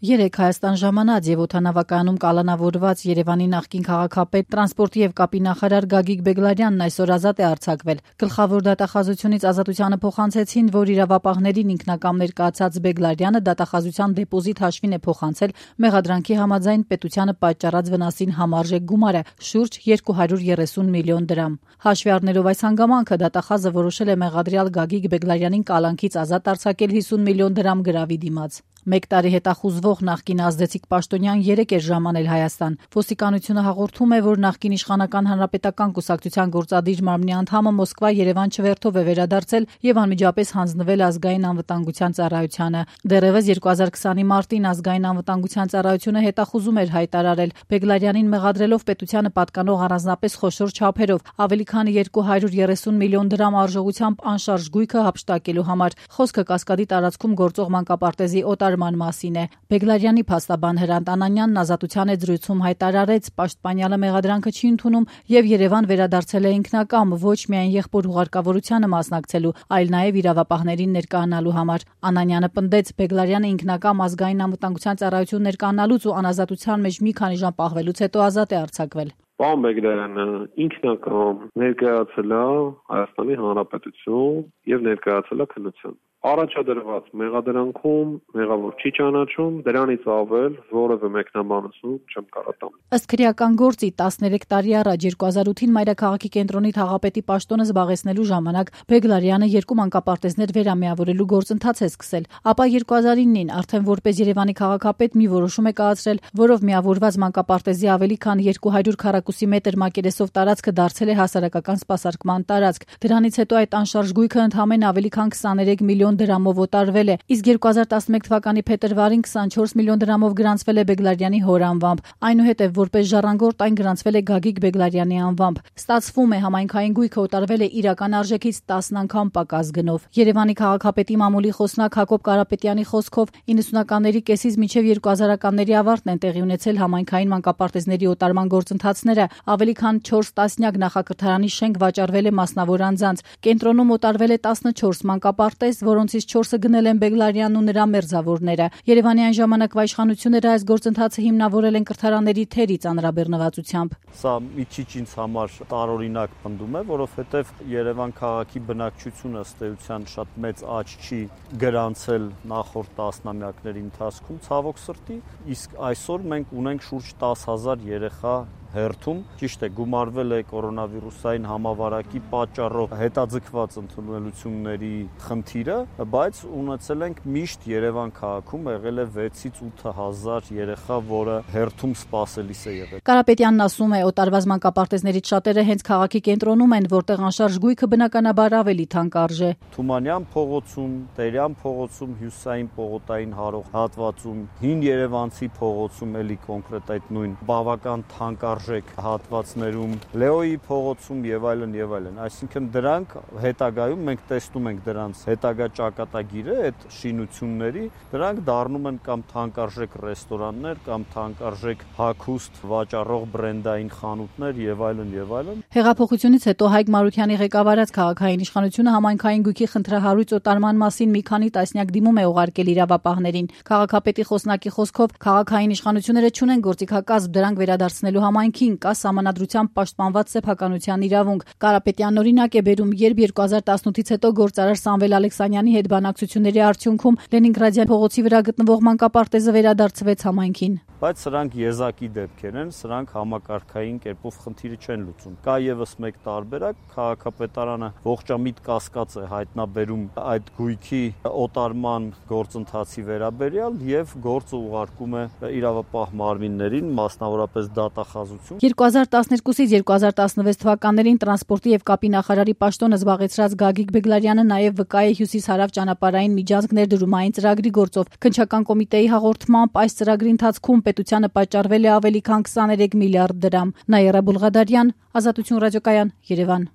Երեկ Հայաստան ժամանած եւ օդանավակայանում կալանավորված Երևանի նախկին քաղաքապետ, տրանսպորտի եւ կապի նախարար Գագիկ Բեգլարյանն այսօր ազատ է արձակվել։ Գլխավոր դատախազությունից ազատությանը փոխանցեցին, որ իրավապահներին ինքնակամ ներկայացած Բեգլարյանը դատախազության դեպոզիտ հաշվին է փոխանցել մեղադրանքի համաձայն պետությանը պատճառած վնասին համարժեք գումարը՝ շուրջ 230 միլիոն դրամ։ Հաշվի առնելով այս հանգամանքը, դատախազը որոշել է մեղադրյալ Գագիկ Բեգլարյանին կալանքից ազատ արձակել 50 միլիոն դրամ գրավի դիմաց։ Մեկ տարի հետախուզվող նախկին ազդեցիկ պաշտոնյան երեկ էր ժամանել Հայաստան։ Ոստիկանությունը հաղորդում է, որ նախկին իշխանական հանրապետական կուսակցության գործադիր մարմնի անդամը Մոսկվա-Երևան չվերթով է վերադարձել եւ անմիջապես հանձնվել ազգային անվտանգության ծառայությանը։ Դեռևս 2020-ի մարտին ազգային անվտանգության ծառայությունը հետախուզում էր հայտարարել Բեգլարյանին մեղադրելով պետությանը պատկանող առանձնապես խոշոր չափերով ավելի քան 230 միլիոն դրամ արժողությամբ անշարժ գույքը հափշտակելու համար։ Խոսքը Կասկադի տարածքում գործող մանկապարտեզի օտարման մասին է։ Բեգլարյանի փաստաբան Հրանտ Անանյանն ազատության զրույցում հայտարարեց, պաշտպանյալը մեղադրանքը չի ընդունում եւ Երևան վերադարձել է ինքնակամ ոչ միայն եղբոր հուղարկավորությանը մասնակցելու, այլ նաեւ իրավապահներին ներկայանալու համար։ Անանյանը պնդեց, Բեգլարյանը ինքնակամ ազգային անվտանգության ծառայություն ներկայանալուց ու անազատության մեջ մի քանի ժամ պահվելուց հետո ազատ է արձակվել։ Պարոն Բեգլարյանը ինքնակամ ներկայացել է Հայաստանի Հանրապետություն եւ ներկայացել է քննության։ Առաջադրված մեղադրանքում մեղավոր չի ճանաչում, դրանից ավել որևէ մեկնաբանություն չեմ կարող տամ։ Ըստ քրեական գործի 13 տարի առաջ 2008-ին Մայրաքաղաքի կենտրոնի թաղապետի պաշտոնը զբաղեցնելու ժամանակ Բեգլարյանը 2 մանկապարտեզներ վերամիավորելու գործընթաց է սկսել, ապա 2009-ին արդեն որպես Երևանի քաղաքապետ մի որոշում է կայացրել, որով միավորված մանկապարտեզի ավելի քան 200 քառակուսի մետր մակերեսով տարածքը դարձել է հասարակական սպասարկման տարածք։ Դրանից հետո այդ անշարժ գույքը ընդհանրապես ավելի քան 23 միլիոն դրամով օտարվել է, իսկ 2011 թվականի փետրվարին 24 միլիոն դրամով գրանցվել է Բեգլարյանի հոր անվամբ։ Այնուհետև որպես ժառանգորդ այն գրանցվել է Գագիկ Բեգլարյանի անվամբ։ Ստացվում է, համայնքային գույքը օտարվել է իրական արժեքից 10 անգամ պակաս գնով։ Երևանի քաղաքապետի մամուլի խոսնակ Հակոբ Կարապետյանի խոսքով 90-ականների կեսից մինչև 2000-ականների ավարտն են տեղի ունեցել համայնքային մանկապարտեզների օտարման գործընթացները, ավելի քան 4 տասնյակ նախակրթարանի շենք վաճառվել է մասնավոր անձանց։ Կենտրոնում օտարվել է 14 մանկապարտեզ, որոնցից 4-ը գնել են Բեգլարյանն ու նրա մերձավորները։ Երևանի այն ժամանակվա իշխանությունները այս գործընթացը հիմնավորել են կրթարանների թերի ծանրաբեռնվածությամբ։ Սա մի քիչ ինձ համար տարօրինակ պնդում է, որովհետև Երևան քաղաքի բնակչությունը ըստ էության շատ մեծ աճ չի գրանցել նախորդ տասնամյակների ընթացքում, ցավոք սրտի, իսկ այսօր մենք ունենք շուրջ 10,000 երեխա հերթում, ճիշտ է, գումարվել է կորոնավիրուսային համավարակի պատճառով հետաձգված ընդունելությունների խնդիրը, բայց ունեցել ենք միշտ Երևան քաղաքում եղել է 6-ից 8,000 երեխա, որը հերթում սպասելիս է եղել։ Կարապետյանն ասում է, օտարված մանկապարտեզներից շատերը հենց քաղաքի կենտրոնում են, որտեղ անշարժ գույքը բնականաբար ավելի թանկ արժե։ Թումանյան փողոցում, Տերյան փողոցում, Հյուսիսային պողոտային հարող հատվածում, Հին Երևանցի փողոցում, էլի կոնկրետ այդ նույն բավական թանկ հատվածներում, Լեոյի փողոցում եւ այլն եւ այլն։ Այսինքն դրանք հետագայում մենք տեսնում ենք դրանց հետագա ճակատագիրը, այդ շինությունների, դրանք դառնում են կամ թանկարժեք ռեստորաններ, կամ թանկարժեք հագուստ վաճառող բրենդային խանութներ եւ այլն եւ այլն։ Հեղափոխությունից հետո Հայկ Մարությանի ղեկավարած քաղաքային իշխանությունը համայնքային գույքի խնդրահարույց օտարման մասին մի քանի տասնյակ դիմում է ուղարկել իրավապահներին։ Քաղաքապետի խոսնակի խոսքով քաղաքային իշխանությունները չունեն գործիքակազմ դրանք վերադարձնելու համայնքին, կա սահմանադրությամբ պաշտպանված սեփականության իրավունք։ Կարապետյանն օրինակ է բերում, երբ 2018-ից հետո գործարար Սամվել Ալեքսանյանի հետ բանակցությունների արդյունքում Լենինգրադյան փողոցի վրա գտնվող մանկապարտեզը վերադարձվեց համայնքին։ Բայց սրանք եզակի դեպքեր են, սրանք համակարգային կերպով խնդիրը չեն լուծում։ Կա եւս մեկ տարբերակ, քաղաքապետարանը ողջամիտ կասկած է հայտնաբերում այդ գույքի օտարման գործընթացի վերաբերյալ եւ գործը ուղարկում է իրավապահ մարմիններին, մասնավորապես դատախազություն։ 2012-ից 2016 թվականներին տրանսպորտի եւ կապի նախարարի պաշտոնը զբաղեցրած Գագիկ Բեգլարյանը նաեւ վկա է հյուսիս-հարավ ճանապարհային միջանցք ներդրումային ծրագրի գործով։ Քննչական կոմիտեի հաղորդմամբ այս ծրագրի ընթացքում պետությանը պատճառվել է ավելի քան 23 միլիարդ դրամ։ Նաիրա Բուլղադարյան, Ազատություն ռադիոկայան, Երևան։